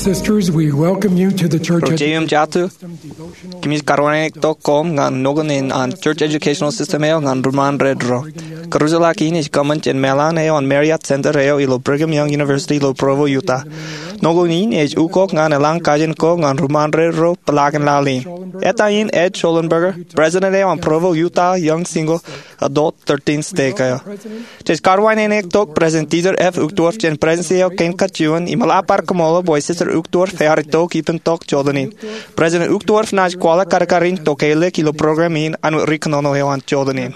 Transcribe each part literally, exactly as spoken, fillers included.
Sisters, we welcome you to the Church Ro jeiū im jatū, kōmij karuwainene tok koṃ ñan nokun in an Church Educational System eo ñan ruṃaanred ro. Kōrujḷọk in ej kōṃṃan jān meḷan eo an Marriott Center eo ilo Brigham Young University ilo Provo, Utah. Nokun in ej ukok ñan eḷaññe kajin ko ñan ruṃaanred ro peḷaakin laḷ in. Eta in Ed Schollenberger, president eo an Provo Utah Young Single Adult thirteen Stake eo. Jej karuwainene tok President Dieter F. Uchtdorf jān Presidens eo kein kajjien im eḷap ad kaṃṃoolol bwe Sister Uchtdorf ear itok ippān tok jota in. President Uchtdorf enaaj kwaḷọk kadkad in tokālik ilo program in an wōt ri kōnono eo an jota in.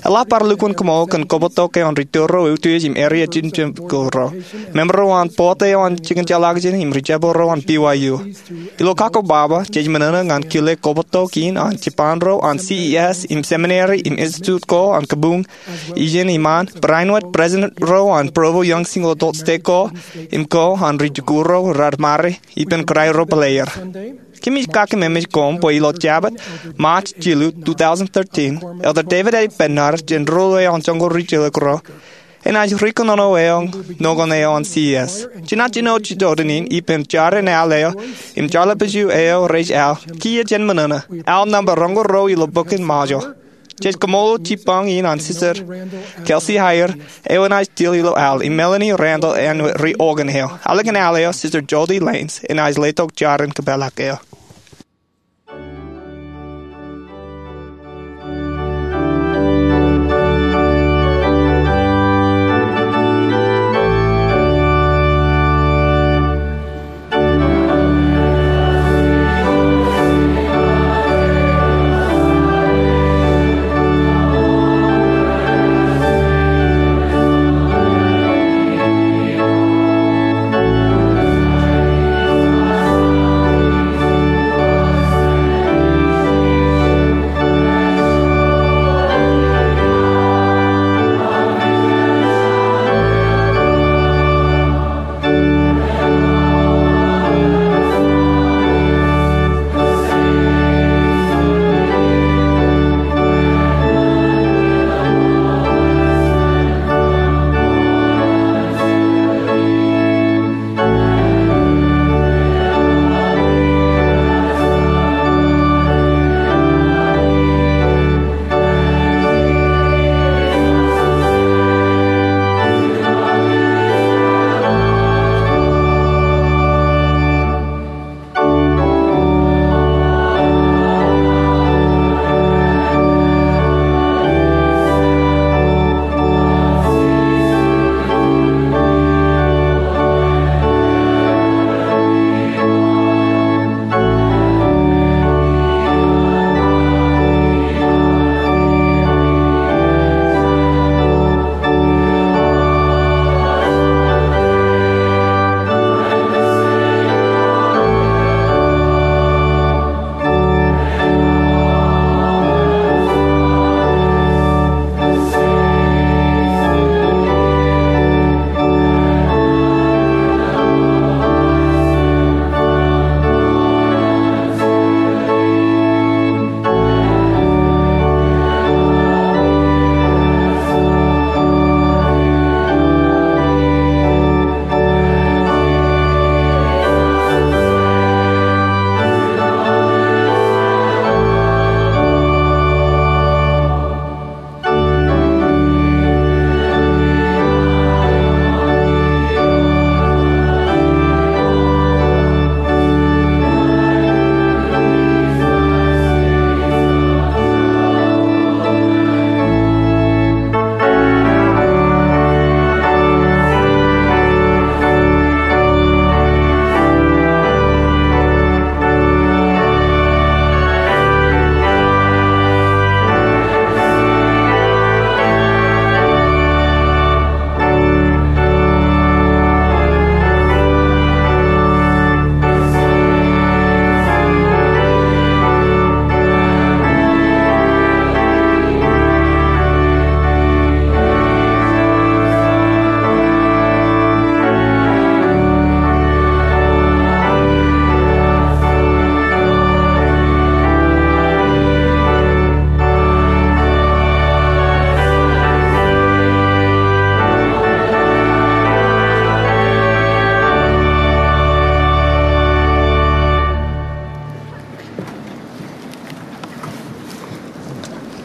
Eḷap ad lukkuun kaṃṃoolol kōn kobōtok eo an ri tōl ro eutiej im area jemjemak ro, member ro an board eo an jikin jeḷākjeṇ im ri jepel ro an B Y U. Ilo kakkobaba, jej ṃōṇōṇō ñan kile kobōtok in an jipañ ro an C E S im seminary im institute ko an kabuñ ijin iṃaan, barāinwōt president ro an Provo Young Single Adult Stake ko im ko an ri jikuuḷ ro raar ṃare ippān kōrā ro bōlāer. Kōmij kakememej koṃ bwe ilo Jabōt, March jilu, two thousand thirteen, Elder David A. Bednar jān ruo eo an joñoul ri jilkinro enaaj ri kōnono eo an nokun eo an C E S. Jenaaj jino jota in ippān jar in al eo im jarlepju eo rej al, kiiō jen ṃōṇōṇō, al nōṃba roñoul ruo ilo bok in Ṃajeḷ. Jej kaṃṃoolol jipañ in an Sister Kelsey Heyer eo enaaj til ilo al, im Melanie Randall āinwōt ri organ eo. Ālikin al eo, Sister Jody Lanes enaaj letok jar in kōpeḷḷọk eo.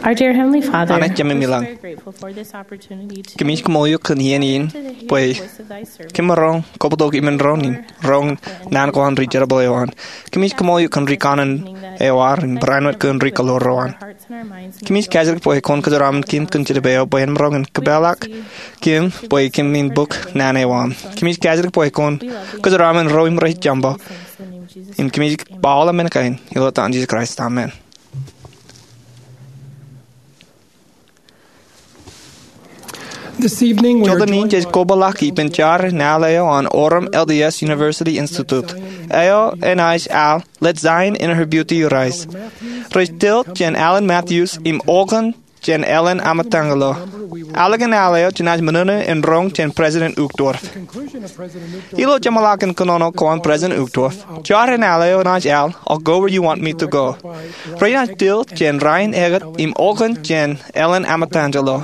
Our dear Heavenly Father, Anij Jemem ilañ, we're so grateful for this opportunity to kōmij kaṃṃoolol eok kōn iien in bwe kōm maroñ kobtok ippān doon in roñ naan ko an ri jerbal eo an. Kōmij kaṃṃoolol eok kōn ri kanaan eo ad im barāinwōt kōn ri kōḷoor eo an. Kōmij kaajdik bwe kwōn kōjeraaṃṃan kōm kōn Jetōb eo bwe en maroñ in kōpeḷḷọk kōm bwe kōm in bōk naan eo aṃ. Kōmij kaajdik bwe kwōn kōjeraaṃṃan ro im rej jaṃbo. Im kōmij ba aolep men kein ilo etan Jisōs Kraist, amen. This evening, we are Jọteen in jej kobaḷọk ippān jar in al eo an Orem L D S University Institute. Eo enaaj al Let Zion in Her Beauty Rise. Rej tōl jān Allen Matthews im okōn jān Ellen Ametāngelo. Ālikin al eo jenaaj ṃōṇōṇō in roñ jān President Uchtdorf. Ilo jeṃḷọkin kōnono ko an President Uchtdorf, jar in al eo enaaj al I'll Go Where You Want Me to Go. Renaaj tōl jān Ryan Eggett im okōn jān Ellen Ametāngelo.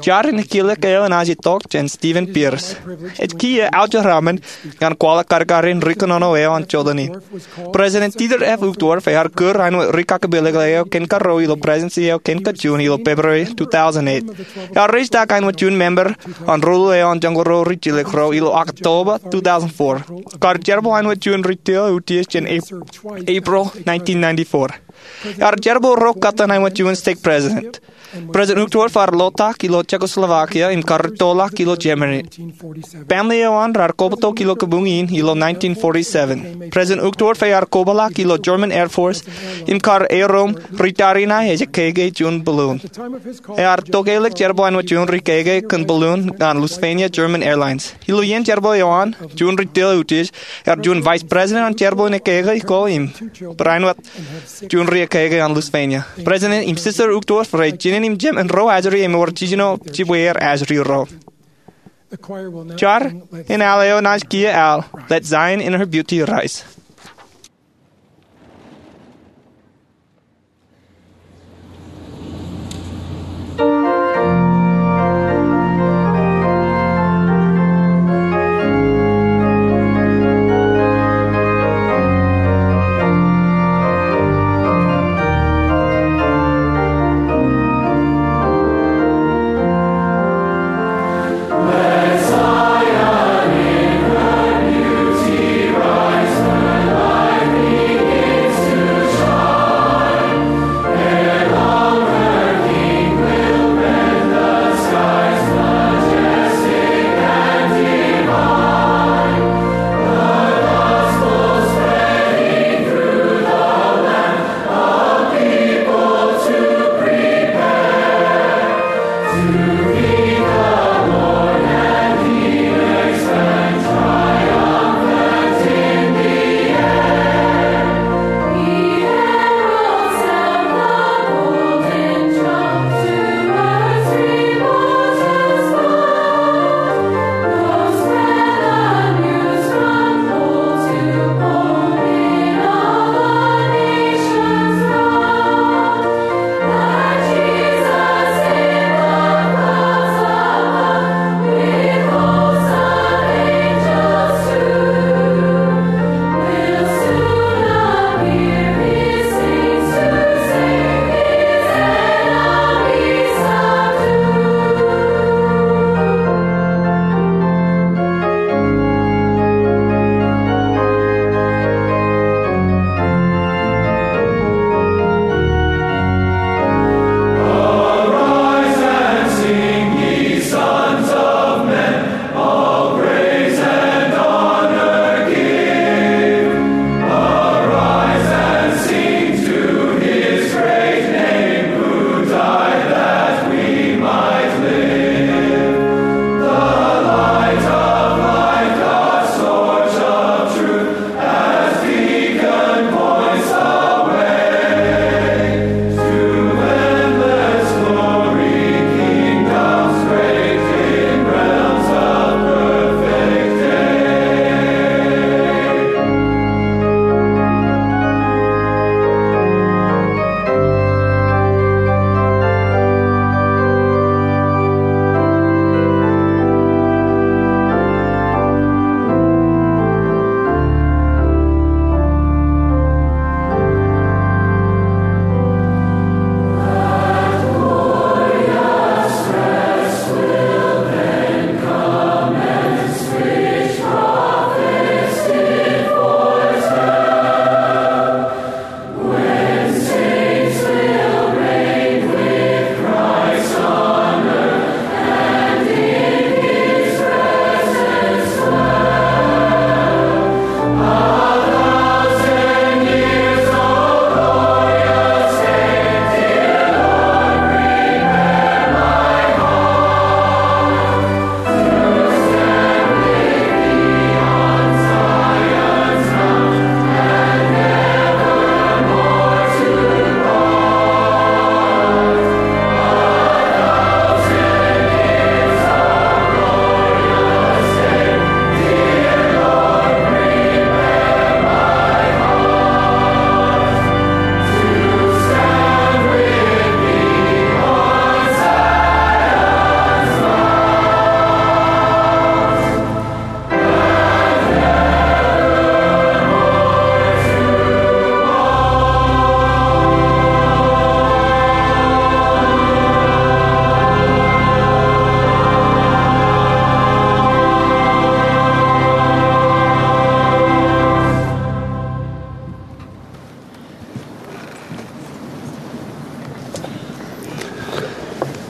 Jar in ekilek eo enaaj itok jān Stephen Pierce. Ej kiiō aujeraṃṃan ñan kwaḷọk kadkadin ri kōnono eo an jọteen in. President Dieter F. Uchtdorf ear kūr āinwōt ri kakipelekle eo kōn karuo ilo Presidency eo kōn kajjien ilo February two thousand eight. Ear raise tok āinwōt juon member an ruḷō eo an Joñoul Ruo Ri Jilkinreo ilo October two thousand four. Kar jerbal āinwōt juon ri tōl utiej jān Ap-, April nineteen ninety-four. Ear jerbal ro kōttan āinwōt juon stake president. President Uchtdorf ear lotak ilo Czechoslovakia im karrettoḷọk ilo Germany. Family eo an raar kobtok ilo kabuñ in ilo nineteen forty-seven. President Uchtdorf ear kobaḷọk ilo German Air Force im kar erom ri tariṇae ej keke juon balloon. Ear tokālik jerbal āinwōt juon ri keke kōn balloon ñan Lufthansa German Airlines. Ilo iien jerbal eo an, juon ri tōl utiej, ear juon vice president an jerbal in ekeke ko im barāinwōt juon ri ekeke an Lufthansa. President im Sister Uchtdorf rej jinen im jemān ro ajri im ewōr jiljino jibwier ajri ro. Jar in al eo enaaj kiiō al Let Zion in Her Beauty Rise.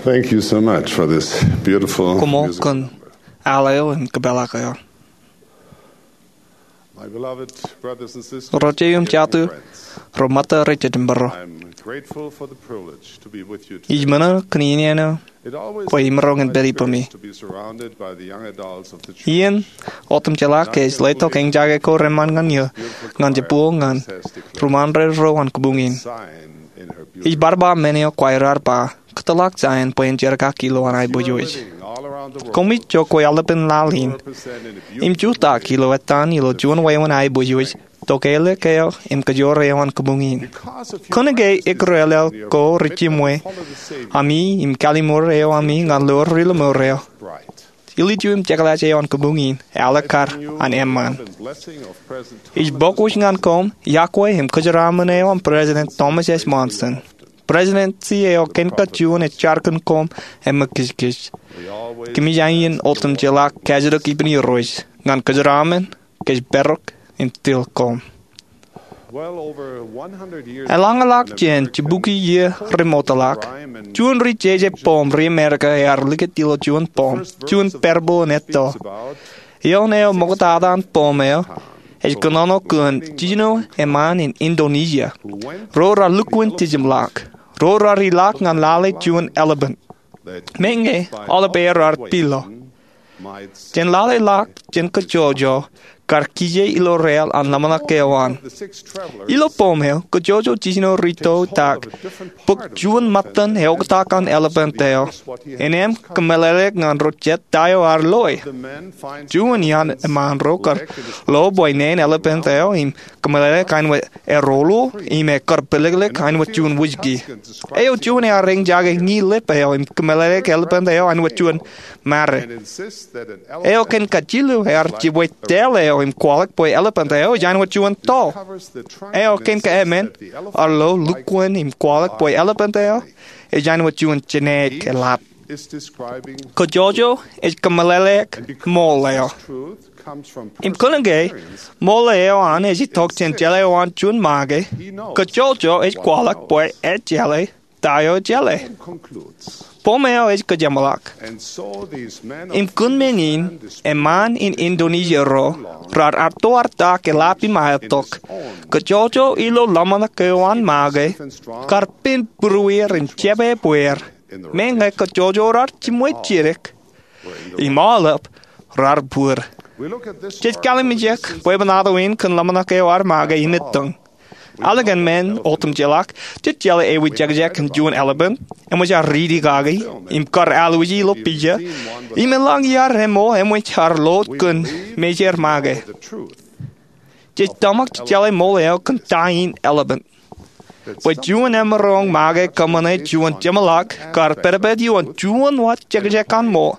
Thank you so much for this beautiful Koṃṃool music. Kōn al eo im kōpeḷḷọk eo. My beloved brothers and sisters, Ro jeiū im jatū, ro ṃōtta rej jemḷọk, I'm grateful for the privilege to be with you today. Ij ṃōṇō kōn iien eo It always bwe imaroñ in pād ipumi. To be surrounded by the young adults of the church. Iien otemjeḷā ke ej letok eñjake ko reṃṃan ñan eō ñan jibboñ ñan ruṃṃan ro an kabuñ in. Ij bar ba men eo kwaar ba, kōtḷọk Zion bwe en jerkak ilowaan aiboojoj. Koṃij jokwe aolepān laḷ in im jutak ilo ettan ilo juon wāween aiboojoj, tokālik eo im kōjoor eo an kabuñ in. Kōnke ekrelel ko rej jiṃwe ami im kalliṃur eo ami ñan loor ri lọmọọr eo, ilju im jekḷaj eo an kabuñ in ālikkar an eṃṃan. Ij bōk wōj ñan koṃ iọkwe im kōjeraaṃṃan eo an President Thomas S. Monson. Presidency eo kōn kajjien ej jar kōn koṃ im ṃōkijkij. Kōmij aiien otemjeḷā kajjitōk ippān Irooj ñan kōjeraaṃṃan, kōjparok im til koṃ. Eḷaññe ḷọk jān jibukwi iiō remootḷọk, juon ri jeje poṃ ri Amerika ear likūt ilo juon poṃ, juon parable in etto. Eoon eo ṃoktata an poṃ eo ej kōnono kōn jijino eṃṃaan in Indonesia ro raar lukkuun jejemḷọk. Ro raar ilọk ñan lale juon elephant. Meñe aolep aer raar pilo. Jān lale ḷọk jān kōjjojo kar kije ilo rael an ḷōmṇak eo an. Ilo poṃ eo, kōjjojo jijino ri to tak bōk juon ṃōttan eoktak an elephant eo. Innām kōmeḷeḷeik ñan ro jet ta eo ear loe. Juon iaan eṃṃaan ro kar lo bwe neen elephant eo im kōmeḷeḷeik āinwōt eroḷọk im ekar pilōklōk āinwōt juon whisky. Eo juon ear eñjake ñi lep eo im kōmeḷeḷeik elephant eo āinwōt juon mare. Eo kōn kajilu ear jibwe tail eo im kwaḷọk bwe elephant eo ej āinwōt juon to. Eo kōn kaemān ear lo lukkuun im kwaḷọk bwe elephant eo ej āinwōt juon jenaik eḷap. Kōjjojo ej kōmeḷeḷeik ṃool eo. Im kōnke ṃool eo an ej itok jān jeḷā eo an juon make, kōjjojo ej kwaḷọk bwe ejjeḷā ta eo ejjeḷā. Poṃ eo ej kōjemḷọk. Im kōn men in, eṃṃaan in Indonesia ro raar artoartak eḷap im aetok. Kōjjojo ilo ḷōmṇak eo an make kar pen būrueir im jepebweir. Meñe kōjjojo raar jiṃwe jidik im aolep raar bōd. Jej kallimjek bwebwenato in kōn ḷōmṇak eo an make im ettōñ. Ālikin men otemjeḷā, jej jeḷā ewi jekjek in juon elephant eṃōj aō riiti kaki im kar alwōji ilo pija im eḷaññe iar emo eṃōj aō loot kōn mejād make. Jej tōmak jej jeḷā ṃool eo kōn ta in elephant. Bwe juon emaroñ make kōṃṃane juon jeṃḷọk kar pedped ioon juon wōt jekjek an ṃool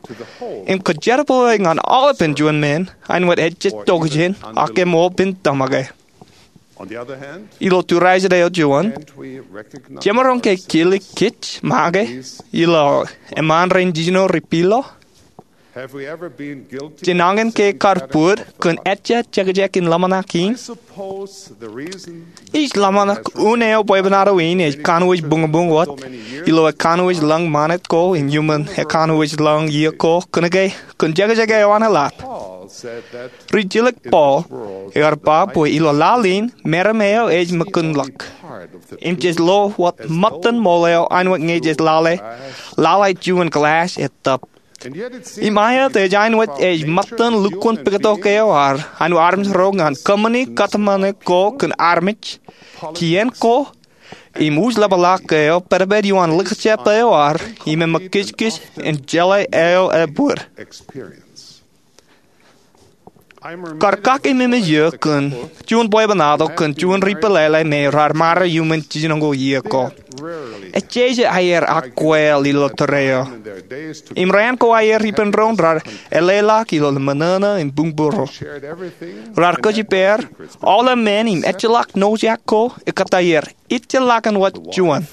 im kōjerbale ñan aolepān juon men āinwōt ejjej tokjān ak ṃool pen tōmake. Ilo tūrijin eo juon, jemaroñ ke kilik kōj make ilo eṃṃaan rein jijino ri pilo? Jenañin ke kar bōd kōn ejja jekjek in ḷōmṇak in? Ij ḷōmṇak unin eo bwebwenato in ej kanooj buñbuñ wōt ilo ekanooj lañ ṃanit ko im iuṃwin ekanooj lañ iiō ko kōnke kōn jekjek eo an eḷap. Ri jilōk Paul ear ba bwe ilo laḷ in meram eo ej ṃōkinḷọk im jej lo wōt ṃōttan ṃool eo āinwōt ñe jej lale lale juon glass ettōb. Im aet ej āinwōt ej ṃōttan lukkuun pukot eo ad āinwōt armej ro ñan kōṃṃani kōtmāne ko kōn armej, kien ko im uj ḷapḷọk eo pedped ioon likjab eo ad im eṃōkijkij in jeḷā eo ebōd. Kar kake memej eo kōn juon bwebwenato kōn juon ri pālele me raar mare iuṃwin jiljino ko iiō ko. Ejjeje aer akwāāl ilo tōre eo. Im raan ko aer ippān doon raar eḷḷāḷọk ilo ṃōṇōṇō im buñbūro. Raar kōjparok aolep men im ejjeḷọk nojak ko ekkā aer ejjeḷọk wōt juon.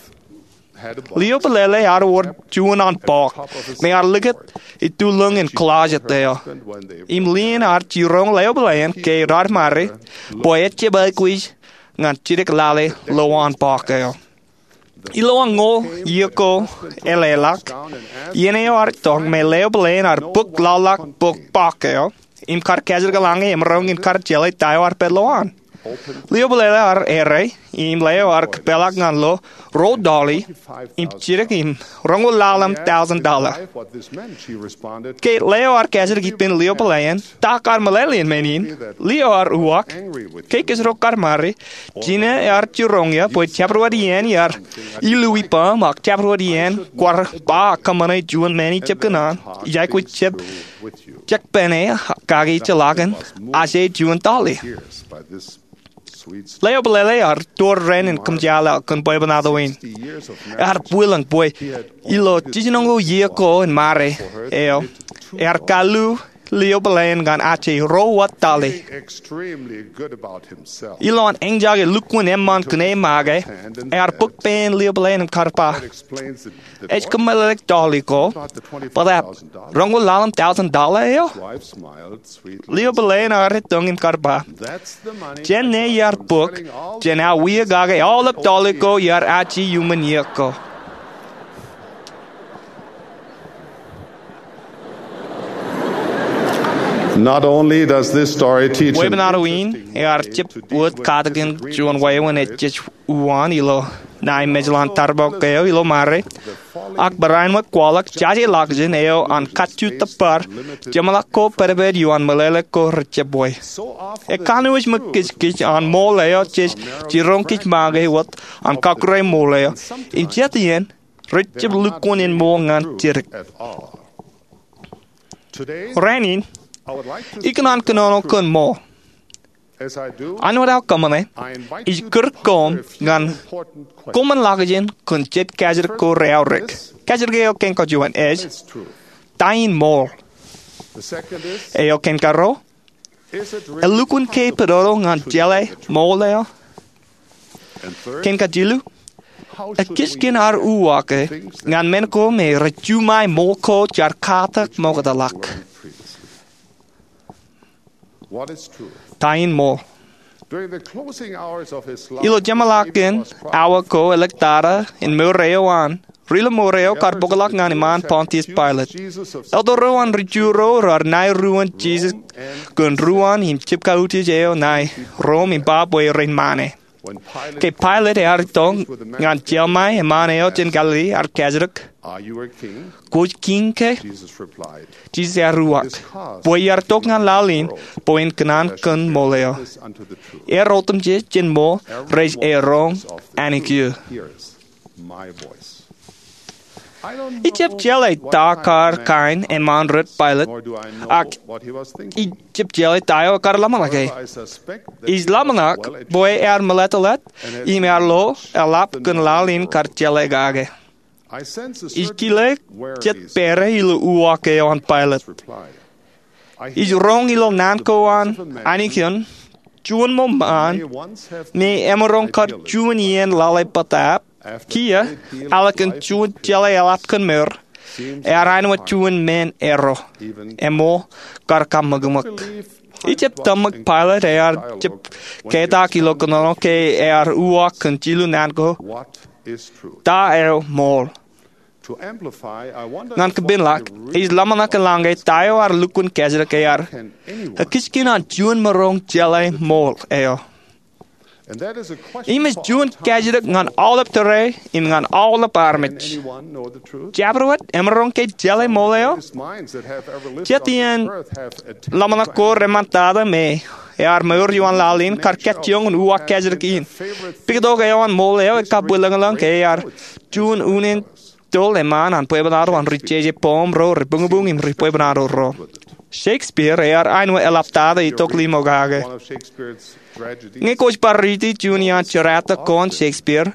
Lio pālele ear wōr juon an pọọk me ear likūt itulōñ in closet eo. Im lien ear jiroñ leḷọk bōlen ke raar mare bwe ejjab aikuj ñan jidik lale lowaan pọọk eo. Ilowaan ñoul iiō ko eḷḷọk, iien eo ear itok me leopeḷein ear bōk laḷḷọk bōk bọọk eo im kar kajjitōk lañe emaroñ in kar jeḷā ta eo ear pād ilowaan. Leopeḷeḷe ear errā im leo ear kōpeḷḷọk ñan lo ruo tọọli im jidik im roñoul ḷalem tọọlin tọọla. Ke leo ear kajjitōk ippān leopeḷein, ta kar meḷeḷein men in? Leo ear uwaak. Ke kōjro kar ṃare, jinō ear jiroñ eō bwe jabdewōt iien iar illu ippaṃ ak jabdewōt iien kwaar ba kōṃṃane juon men ijab kōṇaan, ij aikuj jab jekpāne kake ijellọkin aje juon tọọli. Leopeḷeḷe ear door ren in kōmjaaḷ kōn bwebwenato in. Ear bwilōñ bwe ilo jiljinoñoul iiō ko in ṃare eo, ear kallu leopeḷein ñan aje ruo wōt tọọli. Ilo an eñjake lukkuun eṃṃan kōn e make, ear bōk pein leopeḷein im kar ba, "Ej kōmeḷeḷeik tọọli ko, bōtab roñoul ḷalem tọọlin tọọla eo?" Leopeḷein ear etōñ im kar ba, "Jān ṇe iar bōk jān aō wia kake aolep tọọli ko iar aje iuṃwin iiō ko." Not only does this story teach an Bwebwenato in ear jab wōt katakin juon wāween ej jej uwaan ilo ṇae mejḷan tarbok eo ilo ṃare, ak barāinwōt kwaḷọk jaje ḷọkjeṇ eo an kajju tōpar jeṃḷọk ko pedped ioon meḷeḷe ko rejjab wā. Ekanooj ṃōk kōjkōj an ṃool eo jej jiroñ kōj make wōt an kakure ṃool eo, im jet iien rejjab lukkuun en ṃool ñan jidik. Rainin, ikōṇaan kōnono kōn ṃool. Āinwōt aō kōṃṃane, ij kūr koṃ ñan koṃwinḷọkjeṇ kōn jet kajjitōk ko reaorōk. Kajjitōk eo kein kajuon ej, ta in ṃool? Eo kein karuo, elukkuun ke pedodo ñan jeḷā ṃool eo? Kein kajilu, ekijkien ad uwaake ñan men ko me rej juṃae ṃool ko jaar katak ṃokta ḷọk? Ta in ṃool? Ilo jeṃḷọkin awa ko ḷōktak in mour eo an, ri-lọmọọr eo kar bōkḷọk ñan iṃaan Pontius Pilate. Elder ro an ri-Ju ro raar ṇae ruōn Jisōs kōn ruōn im jibkautiej eo ṇae Rom im ba bwe rein ṃane. Ke Pilate ear itok ñan jeḷā ṃae eṃṃaan eo jān Galili, ear kajjitōk, "Kwōj kiiñ ke?" Jisōs ear uwaak, "Bwe iar itok ñan laḷ in bwe en kōṇaan kōn ṃool eo. Er otemjej jān ṃool rej eroñ anij eō." Ij jab jeḷā ta kar kain eṃṃaan rot Pilate, ak ij jab jeḷā ta eo ekar ḷōmṇake. Ij ḷōmṇak bwe ear meḷeḷeḷe im ear lo eḷap kōn laḷ in kar jeḷā kake. Ij kile jet pere ilo uwaak eo an Pilate. Ij roñ ilo naan ko an Anij in, juon ṃōṃaan me emaroñ kar juon iien lale bōtab, kiiō, ālikin juon jeḷā eḷap kōn mour, ear āinwōt juon men erro, eṃool kar kaṃōkṃōk. Ij jab tōmak Pilate ear jab ketak ilo kōnono ke ear uwaak kōn jilu naan ko, ta eo ṃool? Ñan kōpeḷḷọk, ij ḷōmṇak in lañ ke ta eo ear lukkuun kajjitōk ear ekijkien an juon maroñ jeḷā ṃool eo. Im ej juon kajjitōk ñan aolep tōre im ñan aolep armej. Jabdewōt emaroñ ke jeḷā ṃool eo? Jet iien ḷōmṇak ko reṃṃantata me ear mour ioon laḷ in kar kajjioñ in uwaak kajjitōk in. Pikitok eo an ṃool eo ekabwilōñlōñ ke ear juon unin tōl eṃṃaan an bwebwenato an ri jeje poṃ ro rej buñbuñ im ri bwebwenato ro. Shakespeare ear āinwōt eḷaptata itok limo kake. Ñe kwōj bar riiti juon iaan jerata ko an Shakespeare,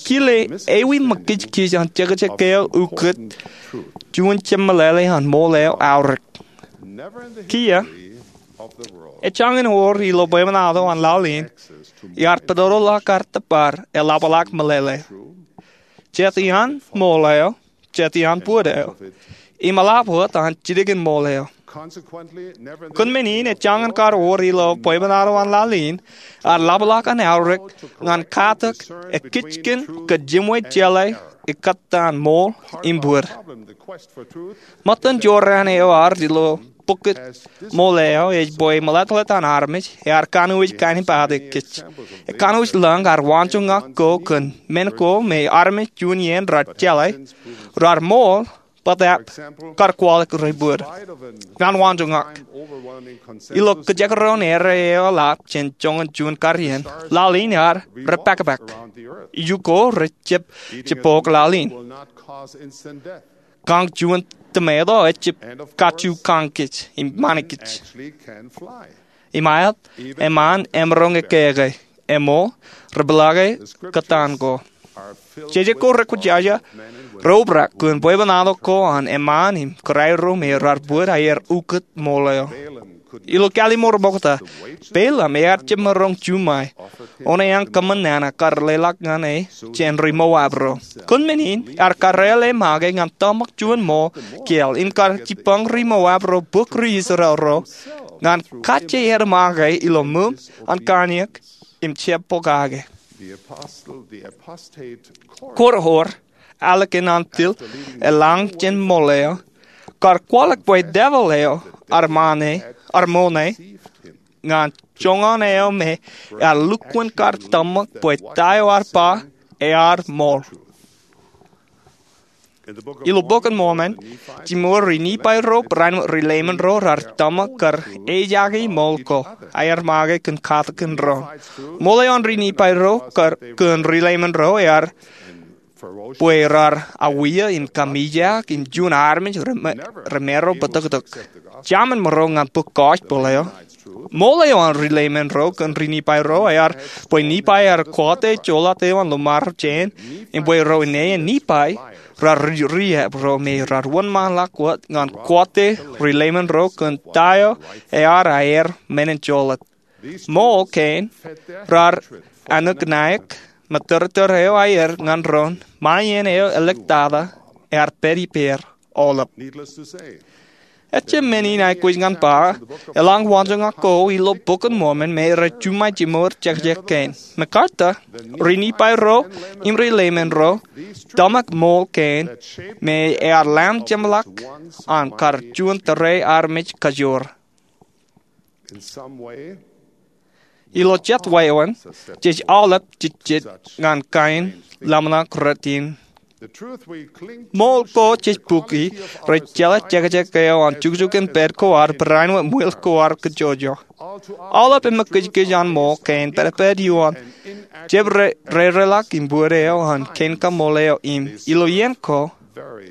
kile ewi ṃōkijkij an jekjek eo ukōt juon jeṃḷọkin ṃool eo aorōk. Kiiō, ejjañin wōr ilo bwebwenato an laḷ in iar pedodoḷọk ad tōpar eḷapḷọk meḷeḷe. Jet iaan ṃool eo, jet iaan bōd eo, im eḷap wōt an jidikōn ṃool eo. Kōn men in, ejjañin kar wōr ilo bwebwenato an laḷ in, ear ḷapḷọk an aorōk ñan katak ekijkien kōj jiṃwe jeḷā ekkā an ṃool im bōd. Ṃōttan jorrāān eo ad ilo bukot ṃool eo ej bwe meḷeḷe an armej ear kanooj kalimjek kōj. Ekanooj lañ ear waanjoñak ko kōn men ko me armej juon iien raar jeḷā, raar ṃool, bōtaab kar kwaḷọk rej bōd. Ñan waanjoñak, ilo kajekdọọn errā eo eḷap jān joñan juon karien, laḷ in ear repakpak. Iju ko rejab jibbook laḷ in. Kañ juon tomato ejab kajju kañ kōj im ṃani kōj. Im aet, eṃṃaan emaroñ ekkā ke eṃool, repeḷḷọke kōtaan ko. Jeje ko rekwōjarjar reobrak kōn bwebwenato ko an eṃṃaan im kōrā ro me raar bōd aer ukōt ṃool eo. Ilo Kallim̧ur Ṃokta, Balaam ear jab maroñ juṃae oṇeañ kōṃṃan nana kar leḷọk ñan e jān ri Moab ro. Kōn men in, ear kōrā e make ñan tōmak juon ṃool kiiō im kar jibboñ ri Moab ro bōk ri Israel ro ñan kajjieer make ilo ṃōm an kanniōk im jab pokake. Korihor, ālikin an til eḷaññe jān ṃool eo, kar kwaḷọk bwe devil eo ear ṃool ṇe, ear ṃool ṇe ñan joñan eo me ear lukkuun kar tōmak bwe ta eo ear ba ear ṃool. Ilo Bok in Mormon, jimor ri Nifai ro barāinwōt ri Leiman ro raar tōmak kar ejaake ṃool ko aer make kōn katakin doon. Ṃool eo an ri Nifai ro kōn ri Leiman ro ear bwe raar awiia im kōmijak im juon armej remaro bōtōktōk. Jemaroñ ñan bōk gospel eo. Ṃool eo an ri Leiman ro kōn ri Nifai ro ear bwe Nifai ear kate joḷọk eo an lọmọọr jān, im bwe ro ineen Nifai raar ri, riab ro me raar wōnṃaanḷọk wōt ñan kate ri Leiman ro kōn ta eo ear aer men in joḷọk. Ṃool kein raar anōk naik, ṃōtōrtōr eo aer ñan doon, ṃae iien eo āliktata ear pād ippāer aolep. Ejjab men in aikuj ñan ba, eḷaññe waanjoñak ko ilo Bok in Mormon me rej juṃae jimor jekjek kein. MacArthur, ri Nifai ro im ri Leiman ro tōmak ṃool kein me ear lamjemḷọk an kar juon tōre armej kajoor. Ilo jet wāween, jej aolep jejjet ñan kain ḷōmṇak rot in. Ṃool ko jej bukwi rej jeḷā jekjek eo an jukjuk in pād ko ad barāinwōt ṃwil ko ad kajjojo. Aolep eṃōkijkij an ṃool kein pād, pād ioon jab re, rereḷọk im bōd eo an kein kaṃṃool eo im ilo iien ko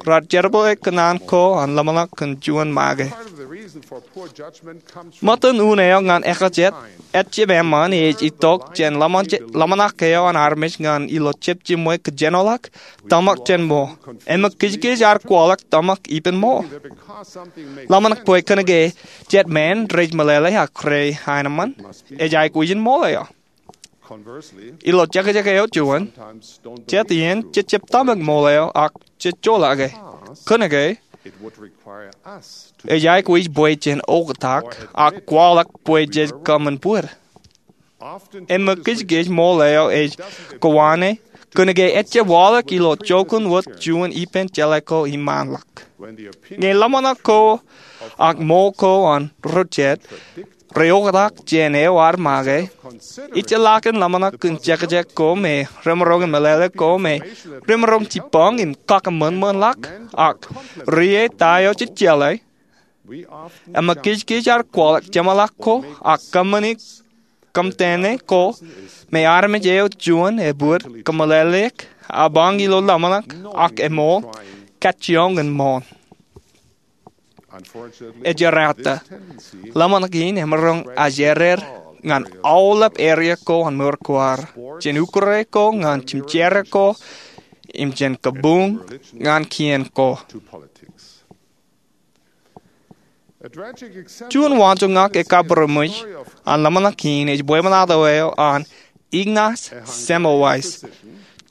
raar jerbale kōṇaan ko an ḷōmṇak kōn juon make. Ṃōttan unin eo ñan ekajet ejjab eṃṃan ej itok jān ḷōmṇak eo an armej ñan ilo jab jiṃwe kōjenolọk tōmak jān ṃool. Eṃōkijkij ear kwaḷọk tōmak ippān ṃool. Ḷōmṇak bwe kōnke jet men rej meḷeḷe ak rej aenōṃṃan, ej aikuj in ṃool eo. Ilo jekjek eo juon, jet iien jejjab tōmak ṃool eo ak jej joḷọke. Kōnke ej aikuj bwe jen oktak ak kwaḷọk bwe jej kōṃṃan bōd. Eṃōkijkij ṃool eo ej kōwaane kōnke ejjab waḷọk ilo jokuṇ wōt juon ippān jeḷā ko iṃaanḷọk. Ñe ḷōmṇak ko ak ṃool ko an ro jet reoktak jān eo ad make, ejjeḷọkin ḷōmṇak kōn jekjek ko me remaroñ in meḷeḷe ko me remaroñ jibboñ im kakōṃanṃanḷọk ak rie ta eo jej jeḷā, eṃōkijkij ear kwaḷọk jeṃḷọk ko ak kōṃṃani kōmtene ko me armej eo juon ebōd kōmeḷeḷeik, ebañ ilo ḷōmṇak ak eṃool kajjioñ in ṃool. Ej errata, ḷōmṇak in emaroñ ajered ñan aolep eria ko an mour ko ad, jān ukure ko ñan jimjera ko, im jān kabuñ ñan kien ko. Juon waanjoñak ekkabūroṃōj an ḷōmṇak in ej bwebwenato eo an Ignaz Semmelweis,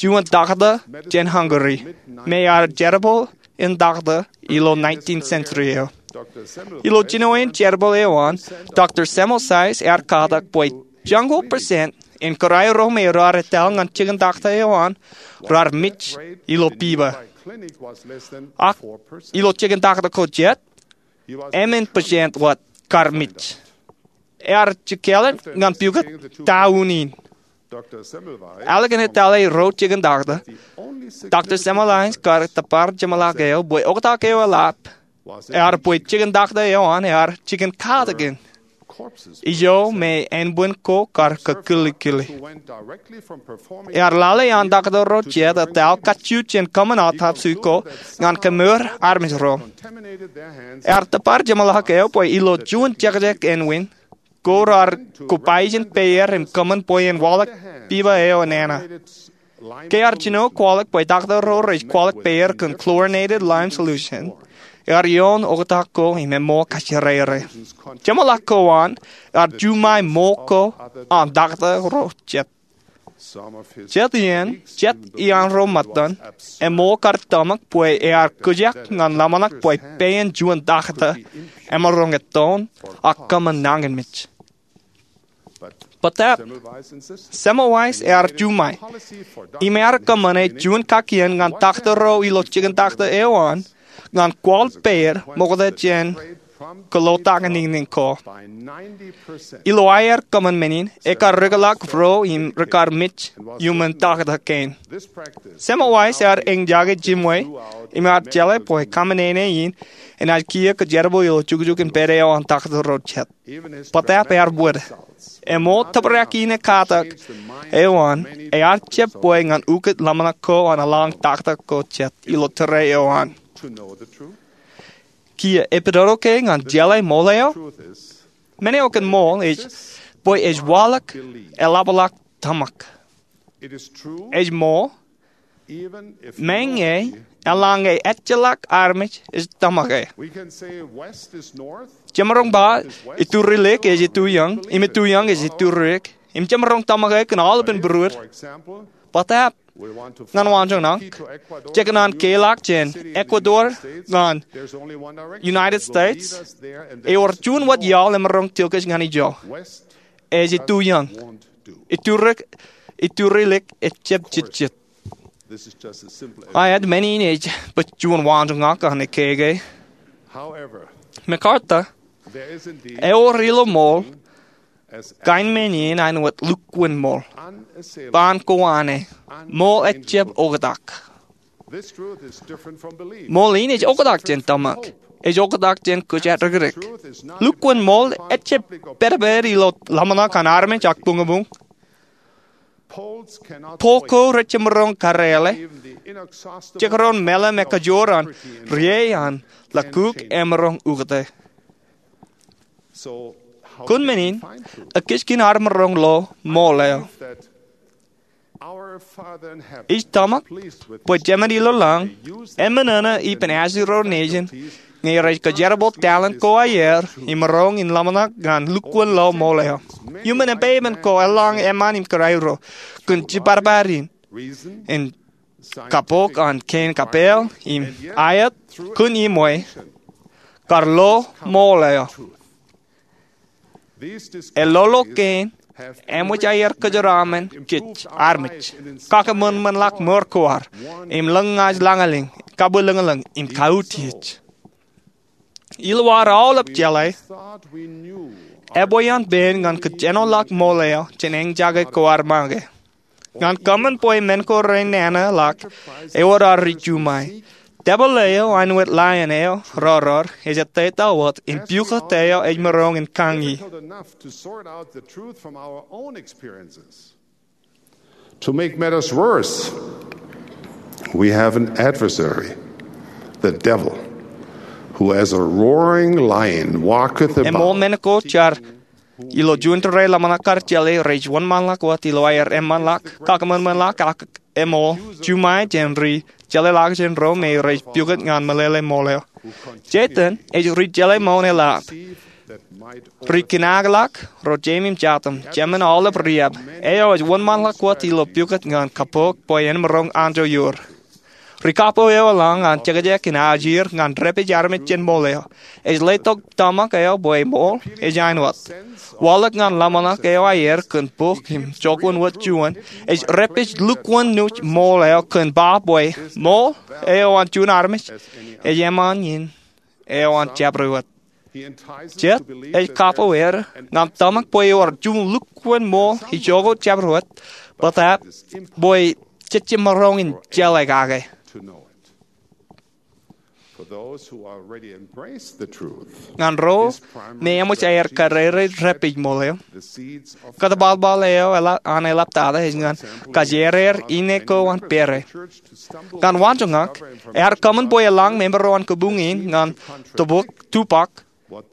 juon taktō jān Hungary, me ear jerbal in taktō ilo nineteenth century eo. Ilo jinoin jerbal eo an, Doctor Semmelweis ear katak bwe joñoul percent in kōrā ro me raar etal ñan jikin takta eo an raar mej ilo piba. Ak ilo jikin takta ko jet, emān percent wōt kar mej. Ear jikāāl ñan pukot ta un in. Ālikin etale ro jikin takta, Doctor Semmelweis kar tōpar jeṃḷọk eo bwe oktak eo eḷap ear bwe jikin takta eo an ear jikin katakin ijo me ānbwin ko kar kōkilikkili. Ear lale an takta ro jet etal kajju jān kōṃṃan autopsy ko ñan kemour armej ro. Ear tōpar jeṃḷọk eo bwe ilo juon jekjek ānwin ko raar kobaijin peier im kōṃṃan bwe en waḷọk piba eo enana. Ke ear jino kwaḷọk bwe takta ro rej kwaḷọk peier kōn chlorinated lime solution, ear ioon oktak ko im eṃṃool kajjirere. Jeṃḷọk ko an ear juṃae ṃool ko an takta ro jet. Jet iien, jet iaan ro ṃōttan, eṃool kar tōmak bwe ear kūjak ñan ḷōmṇak bwe pein juon takta emaroñ ettoon ak kōṃṃan nañinmej. Bōtaab, Semmelweis ear juṃae im ear kōṃṃane juon kakien ñan takta ro ilo jikin takta eo an ñan kwaḷ peier ṃokta jān kōḷotak in niñniñ ko. Ilo aer kōṃṃan men in, ekar rikḷọk ro im rekar mej iuṃwin takta kein. Semmelweis ear eñjake jiṃwe im ear jeḷā bwe kaṃōṇōṇō in enaaj kiiō kōjerbal ilo jukjuk in pād eo an takta ro jet. Bōtaab ear wōd. Eṃool tōprak in ekatak eo an ear jab bwe ñan ukōt ḷōmṇak ko an eḷaññe takta ko jet ilo tōre eo an. Kiiō epidodo ke ñan jeḷā ṃool eo? Men eo kōn ṃool ej bwe ej waḷọk eḷapḷọk tōmak. Ej ṃool, meñe eḷaññe ejjeḷọk armej ej tōmake. Jemaroñ ba iturilik ej ituiōñ im ituiōñ ej iturilik, im jemaroñ tōmake kōn aolepān būruod. Bōtaab ñan waanjoñak, jekōṇaan keḷọk jān Ecuador ñan United States, ewōr juon wōt iaḷ emaroñ tilkej ñan ijo. Ej ituiōñ. Iturilik ejjab jejjet. Aet, men in ej bwe juon waanjoñak an ekkeke. MacArthur, ewōr ilo ṃool kain men in āinwōt lukkuun ṃool. Baan ko an e, ṃool ejjab oktak. Ṃool in ej oktak jān tōmak. Ej oktak jān kōjaddikdik. Lukkuun ṃool ejjab pedped ilo ḷōmṇak an armej ak buñbuñ. Pol ko rej jemaroñ karreeḷe. Jekdọọn mālim ekajoor an rie an ḷọk kuk emaroñ ukōte. Kōn men in, ekijkin ad maroñ lo ṃool eo? Ij tōmak bwe Jemān ilo lañ eṃōṇōṇō ippān ajri ro nejin ñe rej kōjerbal talent ko aer im maroñ in ḷōmṇak ñan lukkuun lo ṃool eo. Iuṃwin epepen ko eḷaññe eṃṃan im kōrā ro kōn jibadbad in, in kappok an kein kapeel im aet kōn iṃwe kar lo ṃool eo. Ellolo kein eṃōj aer kōjeraaṃṃan kōj armej, kakōṃanṃanḷọk mour ko ad, im lōñḷọk lañlōñ, kabwilōñlōñ im kautiej. Ilo ad aolep jeḷā, ebwe an pein ñan kōjenoḷọk ṃool eo jān eñjake ko ad make. Ñan kōṃṃan bwe men ko renana ḷọk, ewōr ad ri juṃae. Debōḷ eo āinwōt lion eo rōror ej ettā wōt im pukot eo ej maroñ in kañi. To make matters worse, we have an adversary, the devil, who as a roaring lion walketh about. Eṃool men ko jar ilo juon tōre ḷōmṇak kar jeḷā rej wōnṃaanḷọk wōt ilo aer eṃṃanḷọk, kakōṃanṃanḷọk ak eṃool juṃae jān ri jeḷāḷọkjeṇ ro me rej pukot ñan meḷeḷe ṃool eo. Setan ej ri jeḷā ṃool eḷap, ri kinaakḷọk ro jeim im jatūṃ, jemān aolep riab. Eo ej wōnṃaanḷọk wōt ilo pukot ñan kappok bwe en maroñ anjọ ioor. Ri kapo eo eḷaññe an jekjek in ajir ñan repej armej jān ṃool eo. Ej letok tōmak eo bwe ṃool ej āinwōt waḷọk ñan ḷōmṇak eo aer kōn bok im jokwōn wōt juon. Ej repej lukwōn nuj ṃool eo kōn ba bwe ṃool eo an juon armej ej eṃṃan in eo an jabdewōt. Jet ej kapo er ñan tōmak bwe ewōr juon lukwōn ṃool ijoko jabdewōt, bōtab bwe jejjab maroñ in jeḷā kake. Ñan ro me eṃōj aer karirein repej ṃool eo, kōtōbalbal eo an eḷaptata ej ñan kajjierāer inne ko an pere. Ñan waanjoñak, ear kōṃṃan bwe eḷaññe member eo an kabuñ in ñan tōprak, tōprak,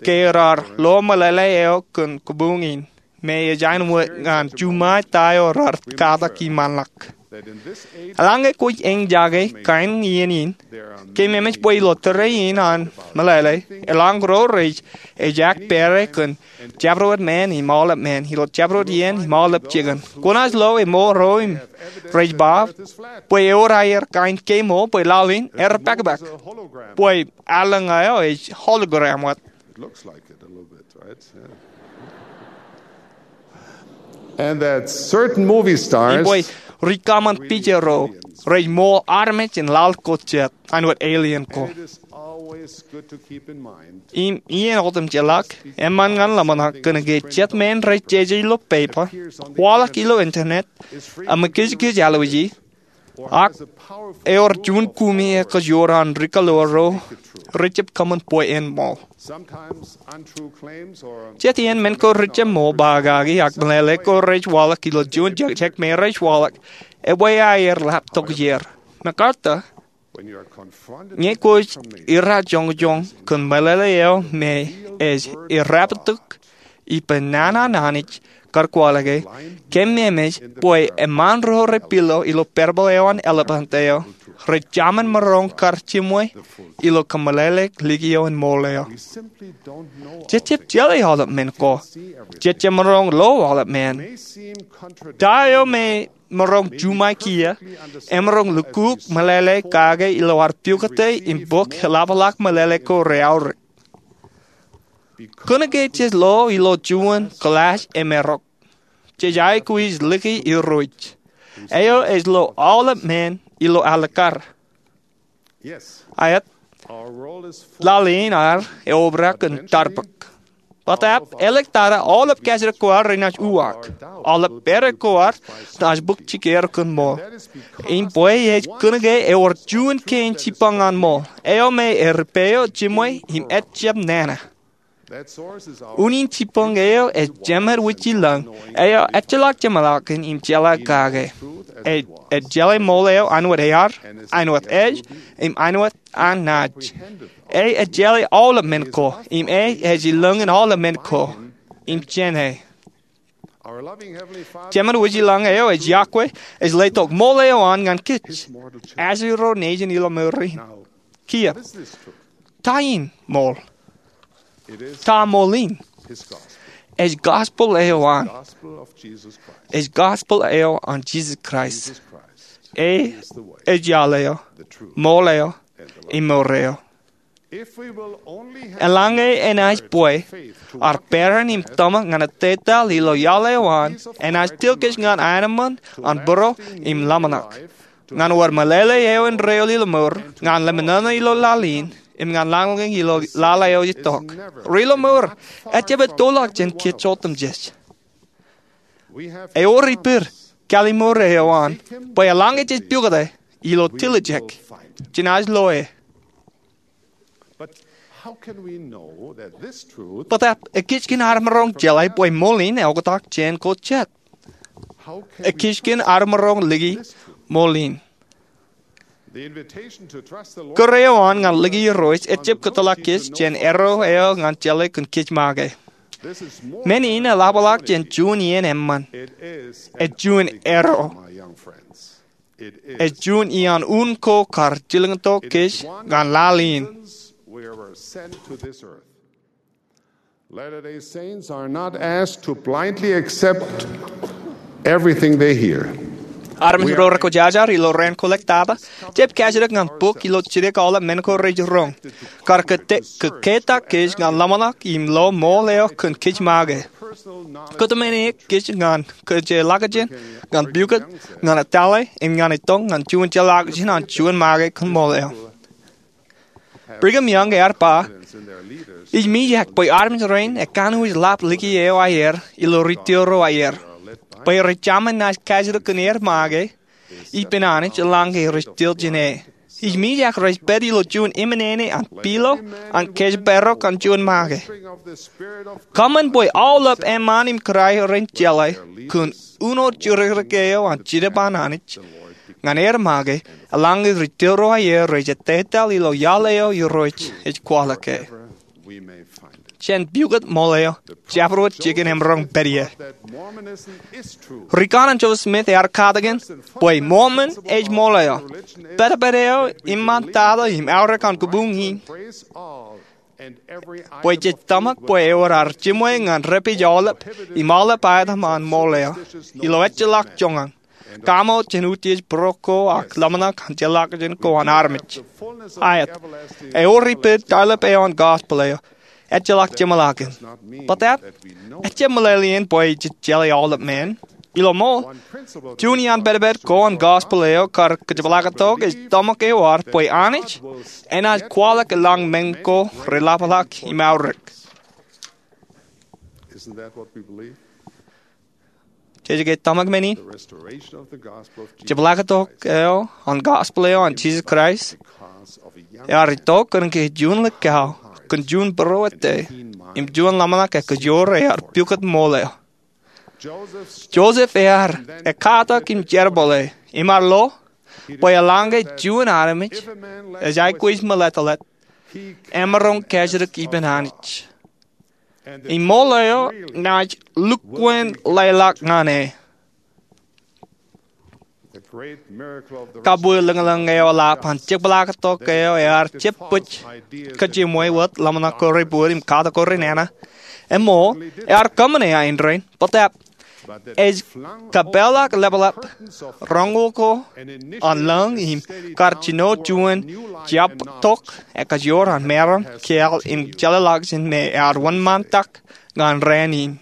ke raar lo meḷeḷe eo kōn kabuñ in, me ej āinwōt ñan juṃae ta eo raar katak iṃaanḷọk. Eḷaññe kwōj eñjake kain iien in, ke memeej bwe ilo tōre in an meḷeḷe, eḷaññe ro rej ejaak pere kōn jabdewōt men im aolep men, ilo jabdewōt iien im aolep jikin. Kwōnaaj lo eṃool ro im rej ba bwe ewōr aer kain kemool bwe laḷ in erpakpak, bwe allōñ eo ej hologram wōt. And that certain movie stars, im bwe ri kōṃṃan pija ro rej ṃool armej in laḷ ko jet, āinwōt alien ko. Im iien otemjeḷọk, eṃṃan ñan ḷōmṇak kōnke jet men rej jeje ilo pepa, waḷọk ilo internet, im kōjkōj alwōji, ak ewōr juon kumi ekajoor an ri kaḷoor ro rej jab kōṃṃan bwe en ṃool. Jet iien men ko rej jab ṃool ba kaki ak meḷeḷe ko rej waḷọk ilo juon jekjek me rej waḷọk ebwe aer ḷap tokjāer. MacArthur, ñe kwōj irrajoñjoñ kōn meḷeḷe eo me ej irraptok ippān nana in Anij kar kwaḷọke, kōm memeej bwe eṃṃan ro rej pilo ilo parable eo an elephant eo rej jaṃōn maroñ kar jiṃwe ilo kōmeḷeḷeik likio in ṃool eo. Jejjab jeḷā aolep men ko. Jejjab maroñ lo aolep men. Ta eo me maroñ juṃae kiiō, emaroñ lukkuun meḷeḷe kake ilo ad pukot im bōk eḷapḷọk meḷeḷe ko reaorōk. Kōnke jej lo ilo juon kōḷaaj emarok, jej aikuj liki Irooj, eo ej lo aolep men ilo alikkar. Aet, laḷ in ad eobrak in tarbōk. Bōtab, āliktata aolep kajjitōk ko ad renaaj uwaak. Aolep pere ko ad naaj bōk jikier kōn ṃool. Im bwe ej kōnke ewōr juon kein jibboñ an ṃool, eo me eripeo jiṃwe im ejjab nana. Unin jibboñ eo ej Jemed Wūjilōñ, eo ejjeḷọk jeṃḷọkin im jeḷā kake. Ej, ej jeḷā ṃool eo āinwōt ear, āinwōt ej, im āinwōt an naaj. Ej, ej jeḷā aolep men ko, im ej, ej ilōñin aolep men ko, im jāne. Jemed Wūjilōñ eo ej iọkwe, ej letok ṃool eo an ñan kōj. As ro nejin ilo mour in. Kiiō. Ta in ṃool? Ta ṃool in? Ej gospel eo an. Ej gospel eo an Jisōs Kraist. E, ej iaḷ eo, ṃool eo, im mour eo. Eḷaññe enaaj bwe ad peran im tōmak ñan ettetaḷ ilo iaḷ eo an, enaaj tilkej ñan aenōṃṃan an būruō im ḷōmṇak. Ñan wōr meḷeḷe eo endeeo ilo mour, ñan lemñoño ilo laḷ in, im ñan lañlōñ ilo laḷ eo ej itok. Ri ilo mour, ejjab ettoḷọk jān kōj otemjej. Ewōr ippād, kallimur eo an, bwe eḷaññe jej pukot e, ilo tiljek, jenaaj lo e. Bōtab, ekijkien ad maroñ jeḷā bwe ṃool in eoktak jān ko jet? Ekijkien ad maroñ liki ṃool in? Kōrā eo an ñan liki Irooj ejjab kōtḷọk kōj jān arrow eo ñan jeḷā kōn kōj make. Men in eḷapḷọk jān juon iien eṃṃan. Ej juon arrow. Ej juon iaan un ko kar jilkintok kōj ñan laḷ in. Latter-day Saints are not asked to blindly accept everything they hear. Armej ro rekwōjarjar ilo raan ko ḷọk tata jab kajidik ñan bok ilo jidik aolep men ko rej roñ kar kōttak kōj ñan ḷōmṇak im lo ṃool eo kōn kōj make. Kōtmāne kōj ñan kōjeḷākjeṇ, ñan pukot, ñan etale im ñan itok ñan juon jeḷākjeṇ an juon make kōn ṃool eo. Brigham Young ear ba, ij mijak bwe armej rein ekanooj ḷap liki eo aer ilo ri tōl ro aer, bwe rej jaṃōj naaj kajidik kōn er make ippān Anij eḷaññe rej tōl jān e. Ij mijak rej pād ilo juon eṃṃan ṇe an pilo an kōjparok an juon make. Kōṃṃan bwe aolep eṃṃaan im kōrā rein jeḷā kōn uno juririk eo an Jetōb an Anij ñan er make eḷaññe ri tōl ro aer rej etetal ilo iaḷ eo Irooj ej kwaḷọk e. Jān pukot ṃool eo, jabdewōt jikin emaroñ pād ie. Ri kanaan Joseph Smith ear katakin bwe Mormon ej ṃool eo, pedped eo iṃaan tata im aorōk an kabuñ in, bwe jej tōmak bwe ewōr ad jiṃwe ñan repij aolep im aolep aetam an ṃool eo ilo ejjeḷọk joñan, kaṃo jān utiej būruō ko ak ḷōmṇak an jeḷākjeṇ ko an armej. Aet, ewōr ippān tarlip eo an gospel eo, ejjeḷọk jeṃḷọkin. Bōtab, ejjab meḷeḷein bwe jej jeḷā aolep men. Ilo ṃool, juon iaan pedped ko an gospel eo kar kōjepḷaaktok ej tōmak ewōr bwe Anij enaaj kwaḷọk eḷaññe men ko reḷapḷọk im aorōk. Jej ke tōmak men in? Jepḷaaktok eo an gospel eo an Jisōs Kraist ear itok kōnke juon lekkao kōn juon būruō ettā im juon ḷōmṇak ekajoor ear pukot ṃool eo. Joseph ear ekkatak im jerbale im ear lo bwe eḷaññe juon armej ej aikuj meḷeḷe, emaroñ kajidik ippān Anij. Im ṃool eo naaj lukkuun leḷọk ñan e. Kabwe lōñlōñ eo eḷap an jepḷaaktok eo ear jab bōk kōjeṃwe wōt ḷōmṇak ko rej bōd im katak ko rej nana. Eṃool, ear kōṃṃane ain rainin, bōtab ej kapeḷḷọk ḷapḷap roñoul ko an lōñ im kar jino juon jabdewōt ekajoor an maroñ kōḷ im jeḷāḷọkjeṇ me ear wōnṃaantak ñan raan in.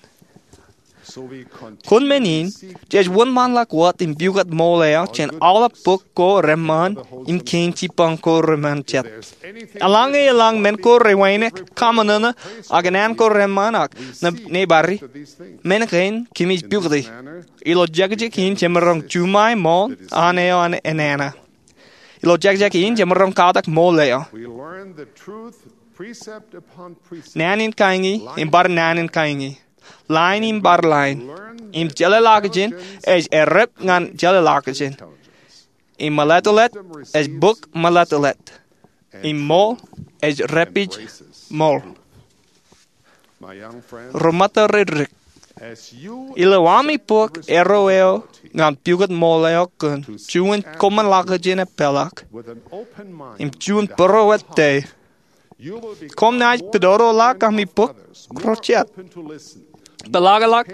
Kōn men in, jej wōnṃaanḷọk wōt im pukot ṃool eo jān aolep bok ko reṃṃan im kein jibboñ ko reṃṃan jet. Eḷaññe eḷaññe men ko rej wānōk, kaṃōṇōṇō, ak naan ko reṃṃan ak nōbar, men kein kōmij pukoti. Ilo jekjek in jemaroñ juṃae ṃool an eo an enana. Ilo jekjek in jemaroñ katak ṃool eo. Naan in kañi im bar naan in kañi, line im bar line. Im jeḷāḷọkjeṇ ej errep ñan jeḷāḷọkjeṇ. Im meḷeḷe ej bōk meḷeḷe. Im ṃool ej repij ṃool. Ri ṃōttan ri dik, ilo ami bōk erro eo ñan pukot ṃool eo kōn juon koṃṃoolḷọkjeṇ epeḷḷọk im juon būruō ettā, koṃ naaj pidodoḷọk ami bōk ro jet. Peḷḷọkḷọk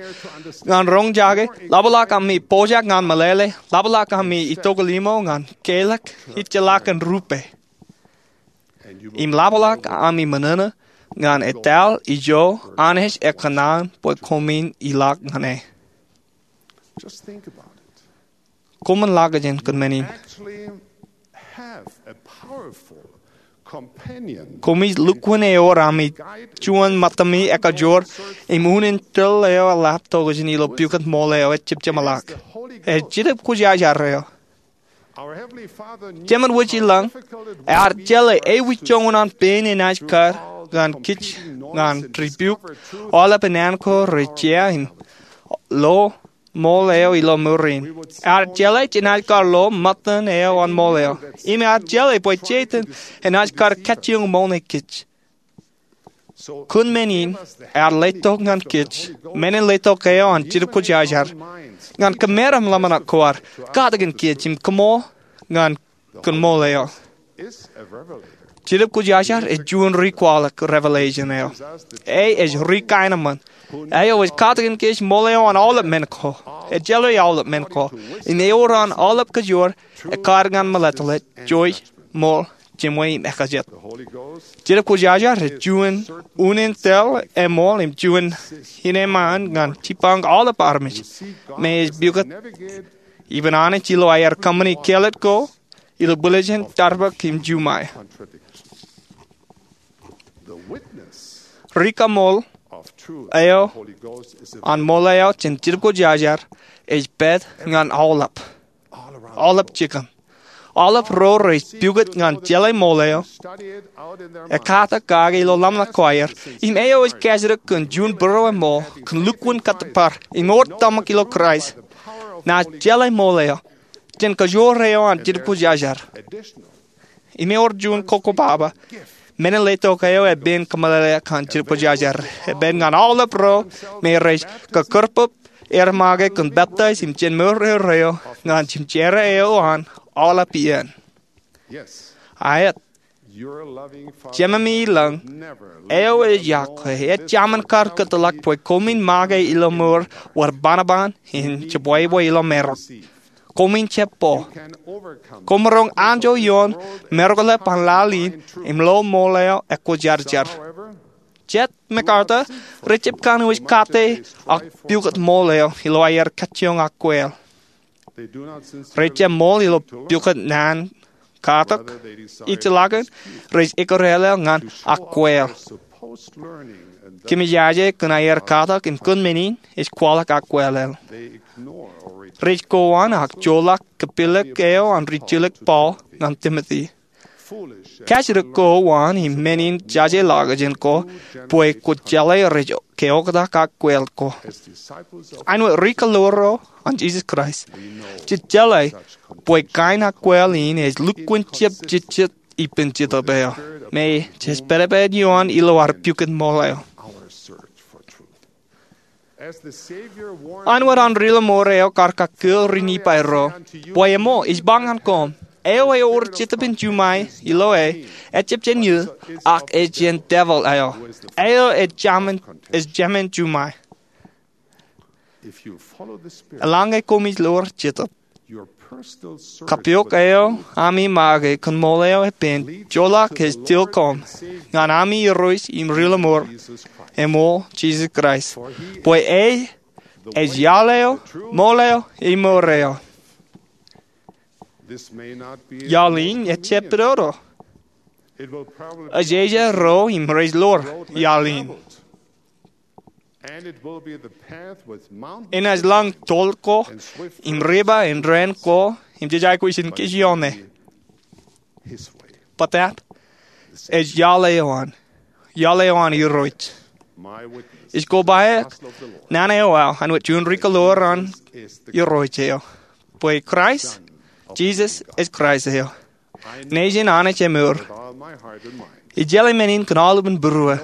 ñan roñjake, ḷapḷọk ami pojak ñan meḷeḷe, ḷapḷọk ami itokḷimo ñan keḷọk ijjeḷọkin rupe. Im ḷapḷọk ami ṃōṇōṇō ñan etal ijo Anij ekōṇaan bwe koṃwin ilọk ñan e. Koṃṃoolḷọkjeṇ kōn men in. Koṃij lukkuun ewōr ami juon ṃōttami ekajoor im unin tōl eo eḷap tokjān ilo pukot ṃool eo ejjab jeṃḷọk. Ej Jetōb Kwōjarjar eo. Jemān wōj ilañ ear jeḷā ewōr joñan an pein enaaj kar ñan kōj ñan rebuke aolep naan ko rej jea im lo ṃool eo ilo mour in. Ear jeḷā jenaaj kar lo ṃōttan eo an ṃool eo. Im ear jeḷā bwe Setan enaaj kar kajjioñ ṃoolne kōj. Kōn men in, ear letok ñan kōj men in letok eo an Jetōb Kwōjarjar ñan kōmeram ḷōmṇak ko ad katakin kōj im kōṃṃool ñan kōn ṃool eo. Jetōb Kwōjarjar ej juon ri kwaḷọk revelation eo. E ej ri kaenōṃṃan. eo ej katakin kōj ṃool eo an aolep men ko. Ejjeḷọk aolep men ko. Im ewōr an aolep kōjwōj, ekkar ñan meḷeḷe, jouj, ṃool, jimwe im ekajet. Jetōb Kwōjarjar ej juon unin tōl eṃool im juon innem ṃaan ñan jipañ aolep armej. Im ej pukot ippān Anij ilo aer kōṃṃani kāālōt ko ilo bwilōñ, tarbōk im juṃae. Rikaṃool eo an ṃool eo jān Jetōb Kwōjarjar ej pād ñan aolep, aolep jikin. Aolep ro rej pukot ñan jeḷā ṃool eo, ekkatak kake ilo ḷōmṇak ko aer, im eo ej kajjitōk kōn juon būrueṃool kōn lukkuun kōttōpar im ewōr tōmak ilo Kraist, naaj jeḷā ṃool eo jān kōjwōj eo an Jetōb Kwōjarjar. Im ewōr juon kokkobaba. Men in letok eo epen kōmeḷeḷe ñan Jetōb Kwōjarjar epen ñan aolep ro me rej kōkkōrpap er make kōn peptaij im jen mour er eo ñan jemjeran eo an aolep iien. Aet. Jememi ilañ eo ej iọkwe ejjaṃin kar kōtḷọk bwe koṃwin make ilo mour wōr banoban im jibwebwe ilo marok. Koṃwin jab bōk. Koṃ roñ anjọ ioon maroñḷọk an laḷ in im lo ṃool eo ekwōjarjar. Jet MacArthur rej jab kanooj kate ak pukot ṃool eo ilo aer kajjioñ ak kweil. Rej jab ṃool ilo pukot naan katak, ijellọkin rej ikōrālel ñan ak kweil. Kōmij aje kōn aer katak im kōn men in ej kwaḷọk ak kweilel. Rej kowaan ak joḷọk kōpilōk eo an rijilōk Paul ñan Timote. Kajjitōk ko an im men in jajeḷọkjeṇ ko bwe kwōj jeḷā rej keoktak ak kweil ko. Āinwōt ri-kōḷoor ro an Jisōs Kraist, jej jeḷā bwe kain ak kweil in ej lukkuun jab jejjet ippān Jetōb eo me jej pād ioon ilo ad pukot ṃool eo. Āinwōt an Ri-lọmọọr eo kar kakkōl ri-Nifai ro bwe eṃool, ij ba ñan koṃ, eo ewōr jetōb in juṃae ilo e, ejjab jān eō, ak ej jān devil eo, eo ej jāmin juṃae. Eḷaññe koṃij lowōr Jetōb, kapook eo ami make kōn ṃool eo epen joḷọk ej til koṃ ñan ami Irooj im Ri-lọmọọr eṃool, Jisōs Kraist. Bwe e ej iaḷ eo, ṃool eo, im mour eo. Iaḷ in ejjab pidodo. Ejeje ro im rej lowōr iaḷ in. Enaaj lañ toḷ ko im river im dān ko im jej aikuj in kōj ioon e. Bōtab ej iaḷ eo an, iaḷ eo an Irooj. Ij kobaik naan eo aō āinwōt juon ri-kōḷoor an Irooj eo, bwe Kraist Jisōs ej Kraist eo, nejin Anij eṃour. Ij jeḷā men in kōn aolepān būruō.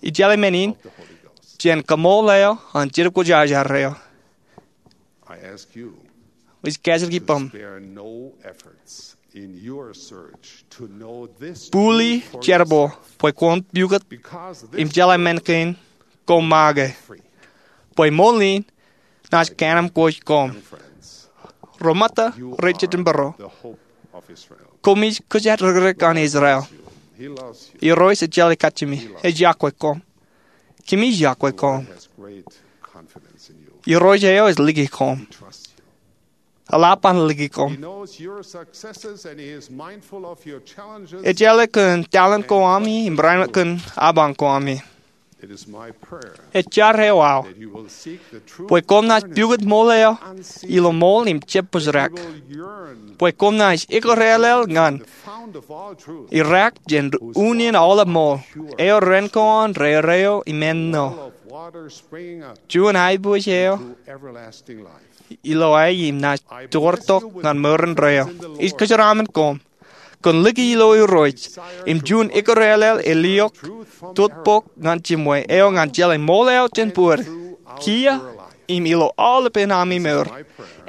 Ij jeḷā men in jān kaṃool eo an Jetōb Kwōjarjar eo. Ij kajjitōk ippaṃ, bōli jerbal bwe kwōn pukot im jeḷā men kein koṃ make, bwe ṃool in naaj kanamkwōj koṃ. Ro ṃōtta rej jitōnbōro, koṃij kōjatdikdik an Israel. Irooj ej jeḷā kajjimi, ej iọkwe koṃ. Kōmij iọkwe koṃ. Irooj eo ej liki koṃ. Eḷap an liki koṃ. Ej jeḷā kōn talent ko ami im barāinwōt kōn apañ ko ami. Ej jar eo aō bwe koṃ naaj pukot ṃool eo ilo ṃool im jab bōjrak, bwe koṃ naaj ikōrālel ñan Irooj jān unin aolep ṃool, eo ren ko an rereo im ennō, juon aiboojoj eo ilo e im naaj toortok ñan ṃōrin reo. Ij kōjeraaṃṃan koṃ kōn liki ilo Irooj im juon ikōrālel āliok totpok ñan jimwe eo ñan jeḷā ṃool eo jān būruō, kiiō, im ilo aolepān ami mour.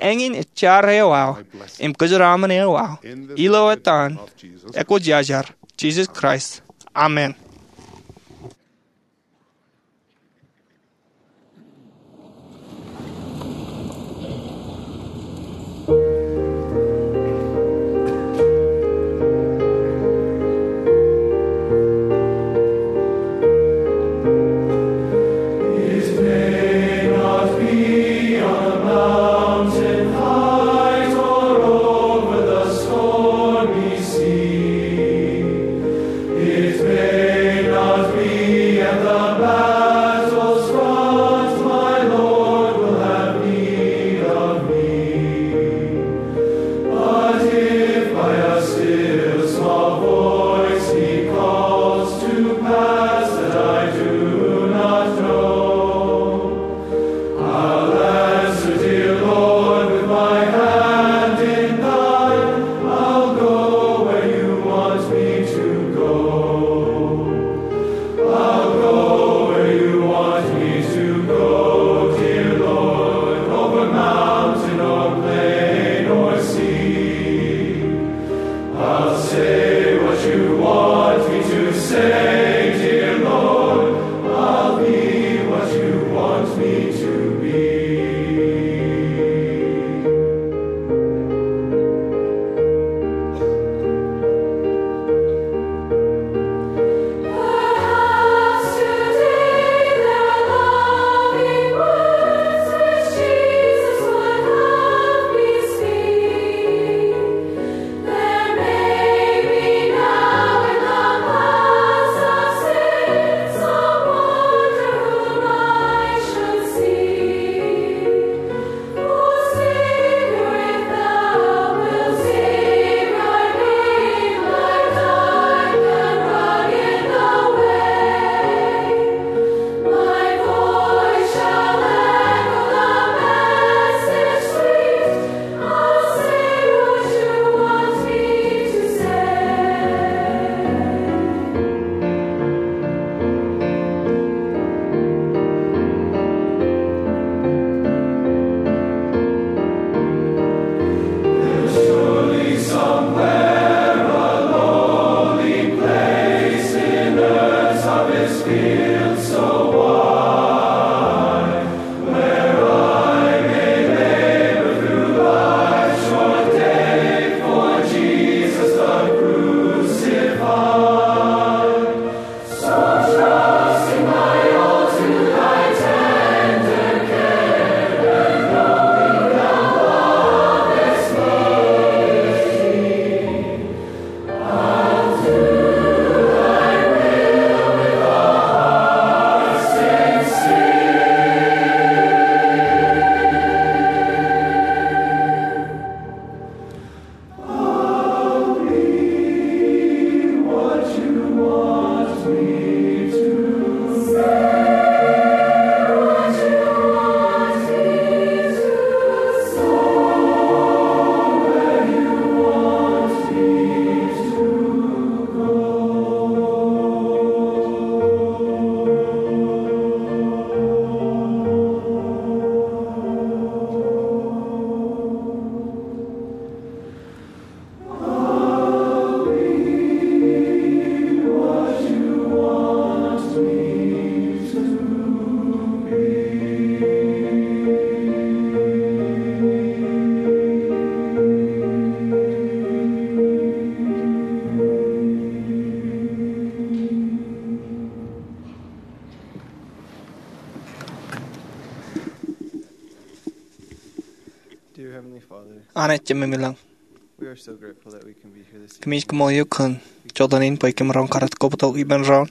Eñin ej jar eo aō im kōjeraaṃṃan eo aō ilo etan Ekwōjarjar Jisōs Kraist, amen. Anij Jemem ilañ, kōmij kaṃool eok kōn jota in bwe kōm roñ karat kobto ippān doon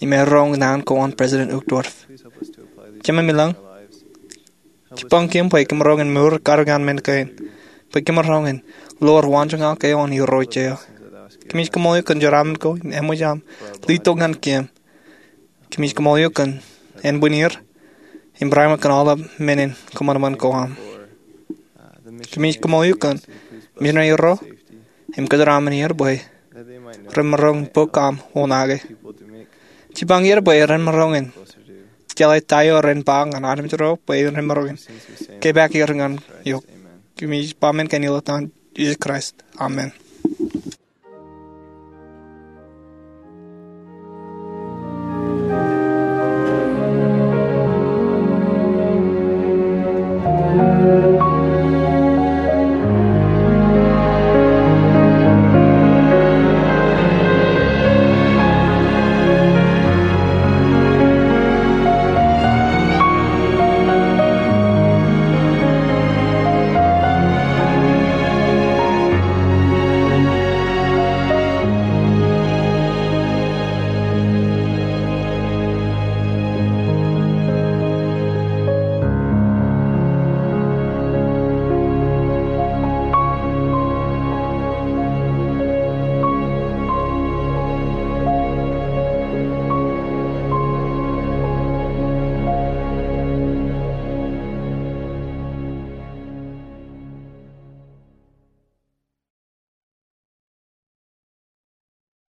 im roñ naan ko an President Uchtdorf. Jemem ilañ, jipañ kōm bwe kōm roñ in mour kar ñan men kein, bwe kōm roñ in lowaan waanjoñak eo an Irooj eo. Kōmij kaṃool eok kōn jeraaṃṃan ko in eṃōj aṃ letok ñan kōm. Kōmij kaṃool eok kōn ānbwinnier im barāinwōt kōn aolep men in kōṃanṃan ko aṃ. Kōmij kaṃool eok kōn misineri ro im kōjeraaṃṃan er bwe ren maroñ in bōk aṃ wōnake. Jipañ er bwe ren maroñ in jeḷā ta eo ren ba ñan armej ro bwe ren maroñ in kepaak er ñan eok. Kōmij ba men kein ilo etan Jisōs Kraist, amen.